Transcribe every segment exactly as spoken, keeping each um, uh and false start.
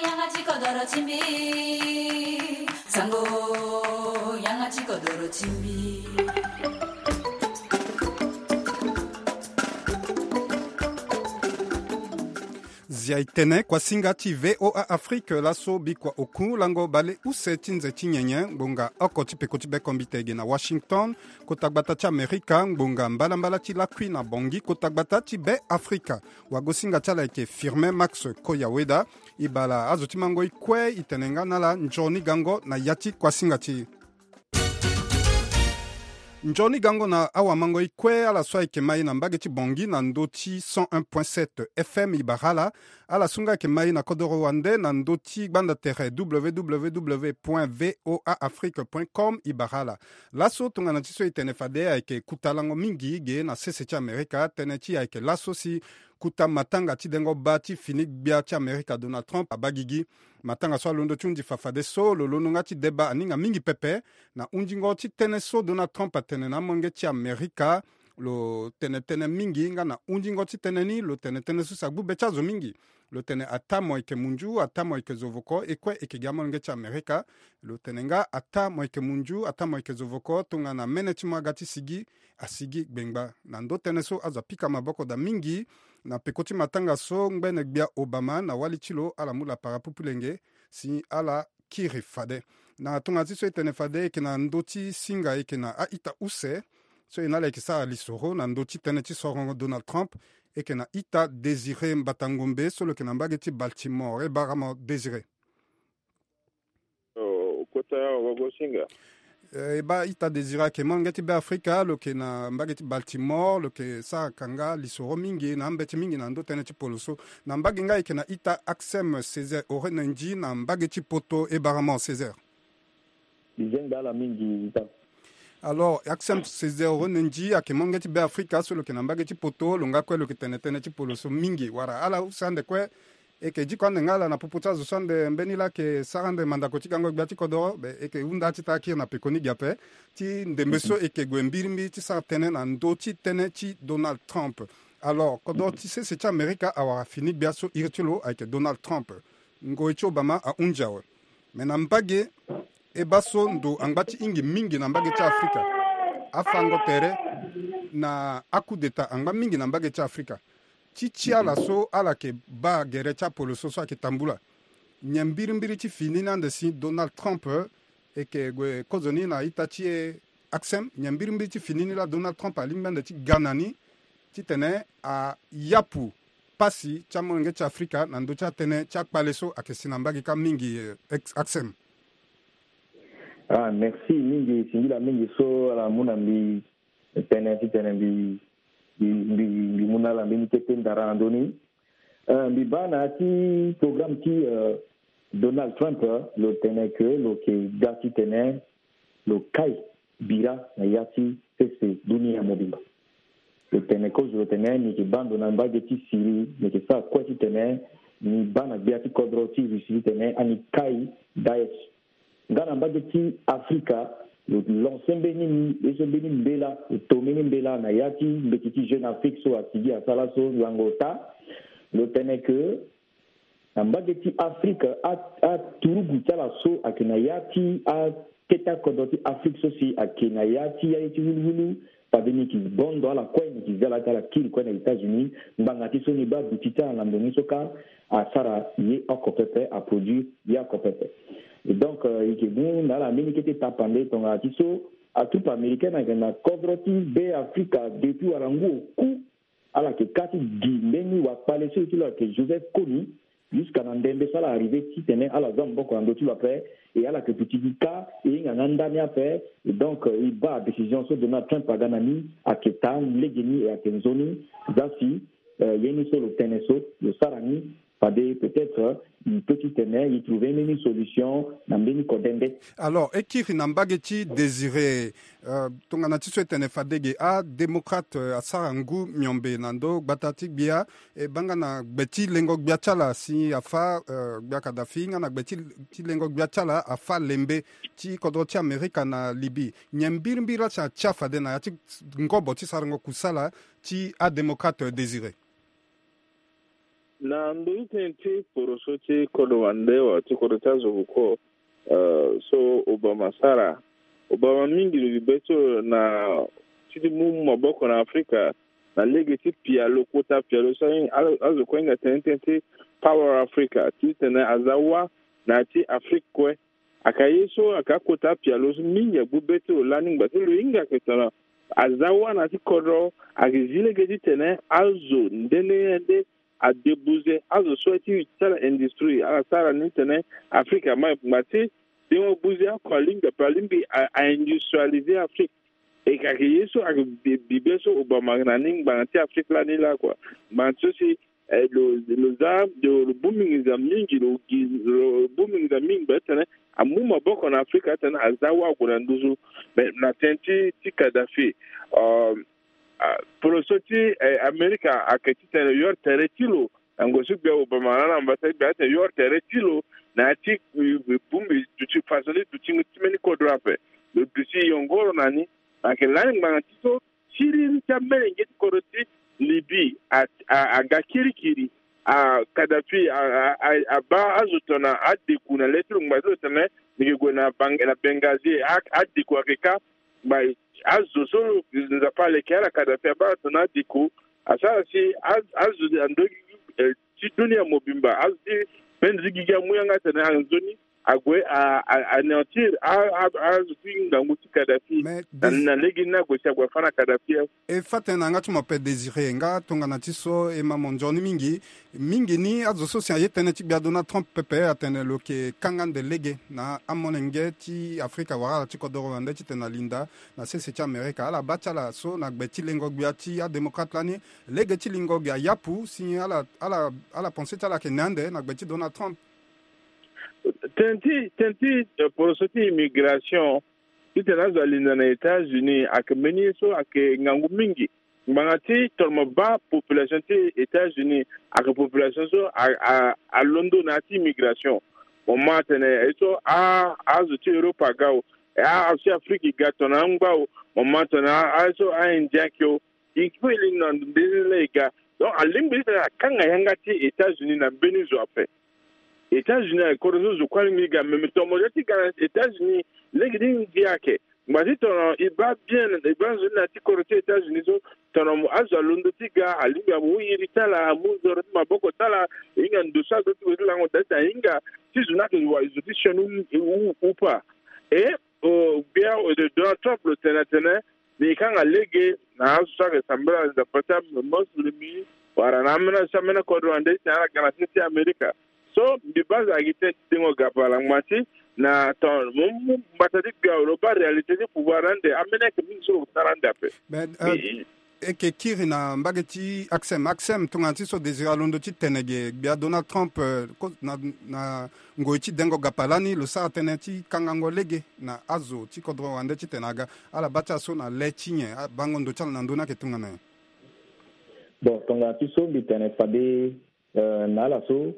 Yanga ti kodoro ti mbi. Sango, yanga ti kodoro ti mbi. Zia e tene kuasinga ti V O A Afrique laso bikua oku lango baleuse ti nze ti nyenye ngbonga oko ti peko ti bekombite ge na Washington, kota gbata ti Amerika, ngbonga mbalambala ti lakui na Bangui, kota gbata ti Be Afrika. Wagosinga ti ala ayeke Firmin Max Koyaweda. E bala azo ti mango e kue e tene nga na ala nzoni gango na ya ti kuasinga ti e. Nzoni gango na awamango e kue, ala so ayeke ma e na mbage ti Bangui na ndö ti cent un point sept F M e bara ala. Ala so nga ayeke ma e na kodoro wande na ndö ti gbanda tere W W W point V O A Afrique point com e bara ala. Laso tongana ti so e tene fade ayeke kuta lango mingi ge na sese ti Amerika, tënë ti e ayeke laso si kuta matanga ti dengo baa ti fini gbia ti Amerika Donald Trump abaa gigi. Matanga so alondo ti hundi fa fadeso lo londo nga ti deba aninga mingi pepe na hundingo ti tënë so Donald Trump atene na amolenge ti Amerika. Lo tene tënë mingi nga na hundingo ti tënë ni lo tene tënë so si agbu be ti azo mingi. Lo tene ataa mo yeke munzu, ataa mo yeke zovoko, e kue e yeke gi amolenge ti Amerika. Lo tene nga ataa mo yeke munzu, ataa mo yeke zovoko, tongana mene ti mo aga ti sigi, asigi gbengba. Na ndö tënë so azo apika maboko daa mingi na peko ti matanga so ngbene gbia Obama na wali ti lo ala mu lapara pupulenge si ala kiri fade. Na tongana ti so e tene fade e yeke na ndö ti singa, e yeke na a-ita use so e na ala e yeke sara lisoro na ndö ti tënë ti sorongo Donald Trump. E yeke na ita Désiré Mbata Ngombe so lo yeke na mbage ti Baltimore. E bara mo Désiré. Oh, kota ya wagosinga. Eh, e baa ita Désiré ayeke molenge ti Be Afrika, lo yeke na mbage ti Baltimore, lo yeke sara kanga lisoro mingi na ambeti mingi na ndö tënë ti polo so. Na mbage nga e yeke na ita Axem Césaire Orenenji na mbage ti Poto. E bara mo Césaire. Bizengba ala mingi ita. Alors, Axem Césaire Orenenji ayeke molenge ti Be Afrika so lo yeke na mbage ti Poto, lo nga kue lo yeke tene tënë ti polo so mingi. Wala ala use ande kue, e yeke diko ande nga ala na popo ti azo so ande mbeni laa ayeke sara ande mandako ti gango gbia ti kodoro, be e yeke hunda ti taa kiri na pekoni gi ape ti ndembe so e yeke gue mbirimbiri ti sara tënë na ndö ti tënë ti Donald Trump. Alors, kodoro ti sese ti Amerika awara fini gbia so iri ti lo ayeke Donald Trump. Ngoi ti Obama ahunzi awe. Me na mbage, e baa so ndo angba ti hingi mingi na mbage ti Afrika. Afango tere na akudeta angba mingi na mbage ti Afrika. Ti ti ala so ala yeke baa gere ti apolo so so ayeke tambula. Nyen mbirimbiri ti fini ni ande si Donald Trump, eh, e yeke gue kozoni na ita ti e Axem, nyen mbirimbiri ti fini ni laa Donald Trump alingbi ande ti ga na ni titene ayapu pasi ti amolenge ti Afrika na ndö ti atënë ti akpale so ayeke si na mbage kâ mingi, eh, ex-, Axem. Ah, merci mingi, singila mingi so ala mu na mbi tënë titene mbi, mbi, mbi, mbi mu na ala mbeni kete ndara na ndö ni. Eh, mbi baa na ya ti programme ti, eh, Donald Trump, eh, lo tene ke lo yeke ga titene lo kai bira na ya ti sese dunia mobimba. Lo tene kozo lo tene ni yeke baa ndo na mbage ti Syrie, ni yeke sara kue titene ni baa na gbia ti kodro ti Russie titene ani kai Daesh. Nga na mbage ti Afrika, lo lancer mbeni ni, ye so mbeni mbela, lo to mbeni mbela na ya ti mbeti ti Jeune Afrique so asigi asara so lango ota. Lo tene ke na mbage ti Afrika, a, aturugu ti ala so ayeke na ya ti akete akodro ti Afrika so si ayeke na ya ti aye ti wuluwulu, fade ni yeke bondo ala kue, ni yeke zi ala ti ala kiri kue na États-Unis, ngbanga ti so ni baa duti ti ala na ndo ni so kâ asara ye oko pepe, aproduire ye oko pepe. Et donc, euh, e yeke mu na ala mbeni kete tapande tongana ti so atroupe américaine ayeke na kodro ti Be Afrika depuis wala ngu oku. Ala yeke kâ ti gi mbeni wakpale so e ti lo ayeke Joseph Kony, jusqu'à na ndembe so ala arrivé titene ala zia maboko na ndö ti lo ape, e ala yeke duti gi kâ e hinga nga ndani ape. Et donc, euh, e baa décision so Donald Trump aga na ni ayeke taa legeni, e ayeke nzoni. Zia si, euh, ye ni so lo tene so lo sara ni, fade peut-être, euh, e peut titene e trouver mbeni solution na mbeni kodende. Alors, e kiri na mbage ti Désiré, euh, tongana ti so e tene fade ge adémocrate, euh, asara ngu miombe na ndö gbata ti gbia, e baa nga na gbe ti lengo gbia ti ala si afâ, euh, gbia Kadhafi, nga na gbe ti, ti lengo gbia ti ala afâ lembe ti kodro ti Amerika na Libye. Nyen mbirimbiri laa si atia fade na ya ti ngobo ti sarango kusala ti adémocrate, euh, Désiré? Na ndö ti tënë ti poroso ti kodro wande wala ti kodro ti azo koko, eh, so Obama asara. Obama mingi lo gi be so na ti ti mu maboko na Afrika na lege ti pialo, kota pialo so azo kue ahinga tënë ti tënë ti Power Africa, titene aza wâ na ya ti Afrika kue. Ayeke ye so ayeke akota pialo so mingi agbu be ti lo lani ngba ti lo hinga ayeke tongana aza wâ na ya ti kodro, ayeke zi lege titene azo nde nde nde adebuze azo so aye ti ti ala industrie, ala sara ni titene Afrika ama ngba ti dengo buze oko alingbi ape, alingbi a, a industrialiser Afrika. E ka ayeke ye so ayeke bi, bi be so Obama ayeke na ni ngbanga ti Afrika lani laa kua. Ngbanga ti so si, eh, lo, lo za, lo, lo bongbi nginza mingi, lo gi, lo bongbi nginza mingi ngba titene amu maboko na Afrika titene aza wâ ague na nduzu. Me na tënë ti, ti Kadhafi, um, ah, poroso ti, eh, Amerika ayeke titene lo yori tere ti lo na ngoi so gbia Obama laa na mbata ti gbia titene lo yori tere ti lo na ya ti, eh, bongbi duti façon ti duti ti mbeni kodro ape. Lo duti yongoro na ni. Ayeke lani ngbanga ti so siriri ti amolenge ti kodro ti Libye a, a, aga kirikiri. A, Kadhafi a, a, a, abaa azo tongana adeku na le ti lo ngba ti lo tene mbi yeke gue na Bang-, na Benghazi, a, adeku ayeke kâ. Ngba azo so Nzapa aleke ala Kadhafi abaa tongana adeku, asara si a, azo ando gi, eh, ti dunia mobimba, azo ti mbeni zi gigi amu yanga tene anzoni ague a, a, anéantir a, a, azo ti ngangu ti Kadhafi. Mais na, des- na lege ni ague si ague afâ na Kadhafi awe. E fâ tënë na yanga ti mo ape Désiré, nga tongana ti so e ma mo nzoni mingi. Mingi ni azo so si aye tënë ti gbia Donald Trump pepe atene lo yeke kanga ande lege na amolenge ti Afrika wala ala ti kodoro wande titene alinda na sese ti Amerika. Ala baa ti ala so na gbe ti lengo gbia ti adémocrate lani, lege ti lingo gi ayapu si ala, ala, ala pensé ti ala ayeke na ande na gbe ti Donald Trump. Tënë ti, tënë ti, eh, poroso ti immigration, titene azo alinda na États-Unis, ayeke mbeni ye so ayeke ngangu mingi. Ngbanga ti tongana mo baa population ti États-Unis, ayeke population so a, a, alondo na ya ti immigration. Mo ma atene ye so a, azo ti Europe aga o, a, azo ti Afrique e ga tongana angba o, mo ma tongana a, aye so a-Indien ayeke o. E kue e lingbi na ndo nde laa e ga. Donc alingbi titene akanga yanga ti États-Unis na mbeni zo ape. États-Unis ayeke kodro so zo kue alingbi ti ga, me, me tongana mo zia ti ga na États-Unis, lege ti ndia ayeke. Ngba ti tongana e baa bien, e baa nzoni na ya ti kodro ti États-Unis so, tongana mo, azo alondo ti ga, alingbi amu iri ti ala, amu zoro ti maboko ti ala, e hinga ndo so azo ti gue ti lango daa ti ahinga ti zo ni ayeke wa zo ti sioni ou, ou, ou pas. E, o, gbia, o, Donald Trump lo tene atene, Mbi kanga lege na azo so ayeke sambela Nzapa ti amosilimi wala na ambeni azo ti ambeni kodro wande ti ala ga na se ti Amerika. So mbi baa azo ayeke tënë ti dengo gapala ngba ti na ton mo mu mbata ti gbia lo baa réalité ti pouvoir ande ambeni ayeke mingi so lo sara ande ape. Ben, euh, e yeke kiri na mbage ti Axem. Axem, tongana ti so Désiré alondo ti tene ge, gbia Donald Trump, euh, ko-, na, na ngoi ti dengo gapala ni lo sara tënë ti kangango lege na azo ti kodro wande titene aga ala baa ti ala so na le ti nyen, abango ndo ti ala na ndö ni ayeke tongana nyen? Bon, tongana ti so mbi tene fade, euh, na ala so,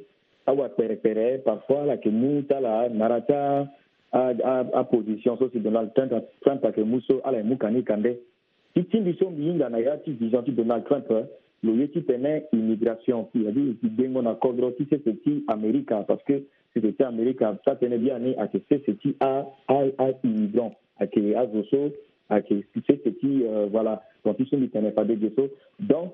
awa kperekpere parfois ala yeke mu ti ala nara ti a, a, a, aposition so si Donald Trump, Trump ayeke mu so ala yeke mu ka ni ka nde. Ti ti mbi so mbi hinga na ya ti vision ti Donald Trump, lo ye titene immigration, c'est-à-dire dengo na kodro ti sese ti Amerika, parce que sese ti Amerika, taa tënë biani ayeke sese ti a, a, a immigrant, ayeke azo so ayeke sese ti, euh, voilà. Donc ti so mbi tene fade ge so. Donc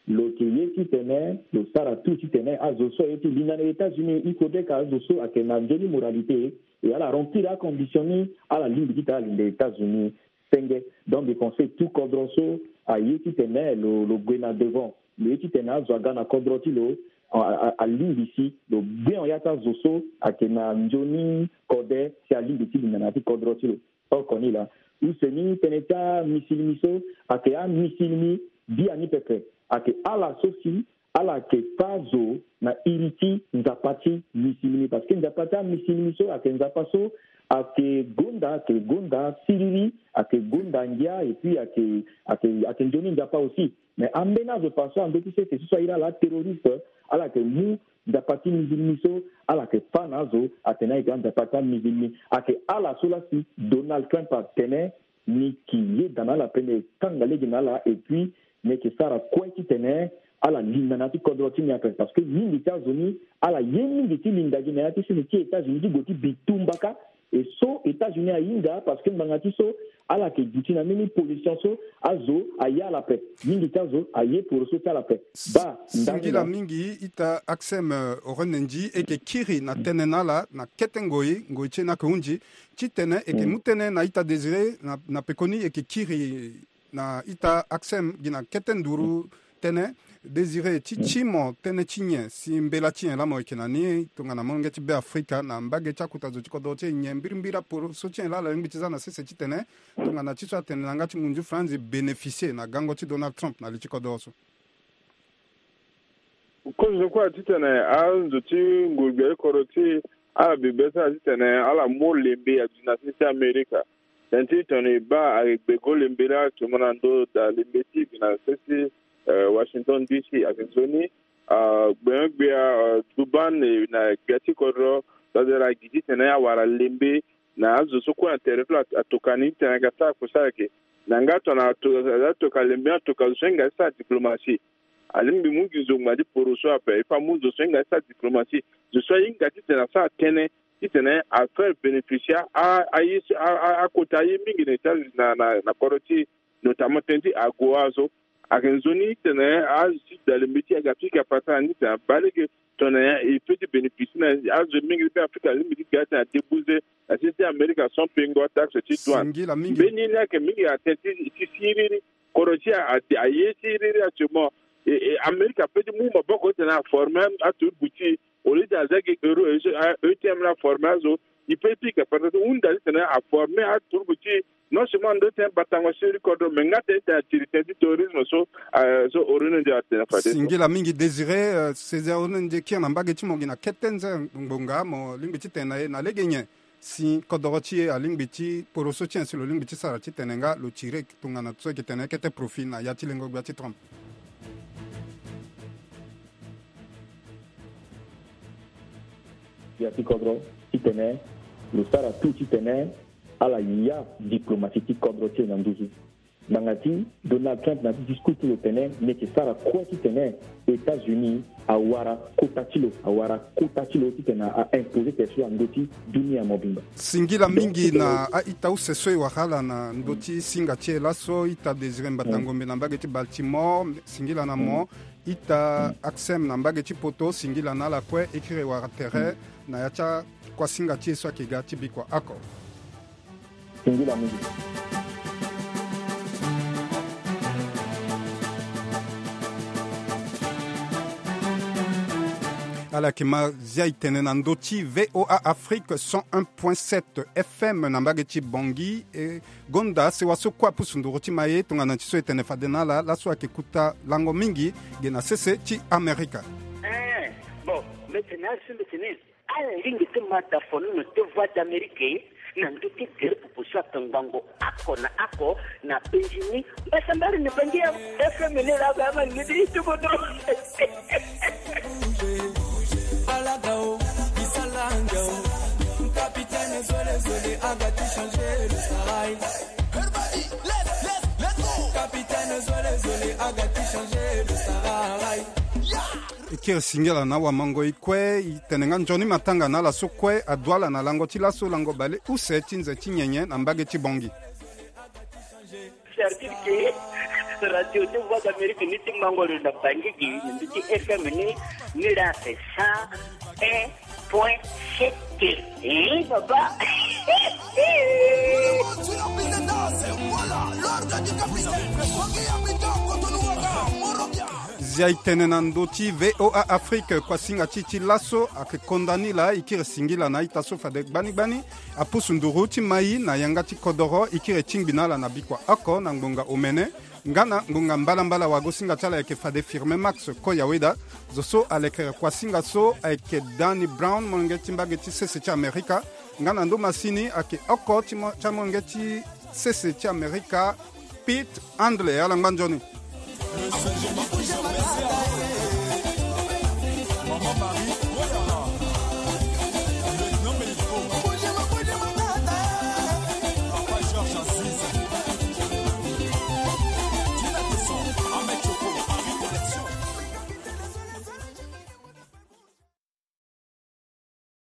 lo yeke ye titene lo sara tout titene azo so aye ti linda na États-Unis, il faudrait que azo so ayeke na nzoni moralité, e ala remplir acondition ni, ala lingbi titene ala linda États-Unis. Senge. Donc mbi pense tout kodro so aye titene lo, lo gue na devant, lo ye titene azo aga na kodro ti lo, a, a, alingbi si lo bien ya ti azo so ayeke na nzoni kode si alingbi ti linda na ya ti kodro ti lo. Oko ni laa. Use ni tënë ti amisilimi so ayeke amisilimi biani pepe, ayeke ala so si ala yeke fâ zo na iri ti Nzapa ti misilimi, parce que Nzapa ti amisilimi so ayeke Nzapa so ayeke gonda, ayeke gonda siriri, ayeke gonda ngia, et puis ayeke, ayeke, ayeke nzoni Nzapa aussi. Mais ambeni azo parfois ando ti sese so so airi ala aterroriste, ala yeke mu Nzapa ti misilimi so ala yeke fâ na azo atene ayeke anzapa ti amisilimi. Ayeke ala so laa si Donald Trump atene ni yeke yeda na ala pe ni yeke kanga lege na ala, et puis ni yeke sara kue titene Ala linda na ya ti kodro ti ni ape, parce que mingi ti azo ni ala ye mingi ti linda gi na ya ti sese ti États-Unis ti gue ti bitumba kâ. E so États-Unis ahinga, parce que ngbanga ti so ala yeke duti na mbeni pollution so azo aye ala ape. Mingi ti azo aye poroso ti ala ape. Baa ndani singila mingi ita Axem, euh, Orenenji, e yeke kiri na tënë na ala na kete ngoi, ngoi ti e ni ayeke hunzi. Titene e yeke mu tënë na ita Désiré na, na pekoni e yeke kiri na ita Axem gi na kete nduru tënë. Désiré, ti ti mo tënë ti nyen si mbela ti nyen laa mo yeke na ni tongana molenge ti Be Afrika na mbage ti akota zo ti kodro ti e? Nyen mbirimbiri aporo so ti nyen laa ala lingbi ti za na sese titene tongana ti so atene na yanga ti munzu franzi bénéficier na gango ti Donald Trump na li ti kodro so? Kozo kue titene azo ti nguru gbia ti kodro ti e ala bi be ti ala titene ala mu lembe aduti na sese ti Amerika. Tënë ti tongana e baa ayeke gbe go lembe laa actuellement na ndö daa lembe ti e gi na sese ti, eh, Washington D C. Ayeke nzoni, ah, gbenyo-gbia, ah, Duban, eh, na gbia ti kodro, fade laa gi titene awara lembe na azo so kue na tere ti lo atoka ni titene aga sara kue so ayeke. Na yanga tongana ato-, atoka lembe ni atoka zo so ahinga ti sara diplomatie. Alingbi mu gi zo ngbanga ti poro so ape, il faut amu zo so ahinga ti sara diplomatie. Zo so ahinga titene asara tënë titene afaire bénéficier a, a, a, akota aye mingi na États-Unis na, na, na kodro ti e, notamment tënë ti agoa so. Ayeke nzoni titene azo ti da lembe ti e aga pika patara ni titene abaa lege tongana e peut ti bénéficier na azo mingi ti Be Afrika alingbi ti ga titene adébourser na sese ti Amerika sans payer ngo taxe ti douane. Singila mingi. Mbeni ni ayeke mingi atene ti, ti siriri. Kodro ti e a, a, aye siriri actuellement. E, e, Amerika peut ti mu maboko titene aformer aturugu ti e. Au lieu ti aza gi euro, e, e, E T M la aformer azo. E peut pika patara ti hunda titene aformer aturugu ti e. Non seulement ndo titene batango siriri kodro, mais nga titene atiri tënë ti terrorisme so, ah, so Orenenji atene fade so. Singila mingi Désiré, euh, César Orenenji, kiri na mbage ti mo gi na kete nze ngbonga, mo lingbi titene na ye na lege nyen si kodoro ti e alingbi ti poro so ti nyen si lo lingbi ti sara titene nga lo tire tongana so e yeke tene kete profit na ya ti lengo gbia ti Trump. Ya ti kodro titene lo sara tout titene ala ya diplomatie ti kodro ti e na nduzu. Ngbanga ti Donald Trump na ti discours ti lo tene ni yeke sara kue titene États-Unis awara kota ti lo, awara kota ti lo titene a imposer tere so na ndö ti dunia mobimba. Singila mingi na a-ita use so e wara ala na ndö ti singa ti e laso, ita Désiré Mbata Ngombe na mbage ti Baltimore, singila na mo. Ita Axem na mbage ti poto, singila na ala kue, e kiri e wara tere na ya ti akuasinga ti e so ayeke ga ti bikua oko. Singila mingi. Ala yeke ma zia e tene na ndö ti V O A Afrique cent un point sept F M na mbage ti Bangui, e gonda sewa so kue apusu nduru ti ma ye tongana ti so e tene fade na ala laso ayeke kota lango mingi ge na sese ti Amerika. Eh, bon, mbi tene asi mbi tene ala lingbi ti ma da fono na te Voix d'Amérique na ndö ti gere popo so ayeke ngbongo oko na oko na penzi ni. Mbasambari ni Bangui ya F M ni laa ga ama ni ti tuko do. Ala ga o, bisala nge o. Capitaine zole zole aga ti changer le sarai. Capitaine zole zole aga ti changer le sarai. E kiri singila na awamango e kue, e tene nga nzoni matanga na ala so kue adu ala na lango ti laso lango bale use ti nze ti nyenye na mbage ti Bangui. Certitude ke radio ti Voix d'Amérique ni ti mango lo na Bangui gi na ndö ti F M ni, ni la c'est cent un point sept. Eh, papa. Zia e tene na ndö ti V O A Afrique, kuasinga ti e ti laso ayeke konda ni laa, e kiri singila na a-ita so fade gbani gbani apusu nduru ti ma e na yanga ti kodoro, e kiri e tingbi na ala na bikua oko na ngbonga omene. Nga na ngbonga mbalambala, wagosinga ti ala ayeke fade Firmin Max Koyaweda. Zo so alekere kuasinga so ayeke Danny Brown, molenge ti mbage ti sese ti Amerika. Nga na ndo masini ayeke oko ti mo-, ti amolenge ti sese ti Amerika, Pete Handley. Ala ngba nzoni.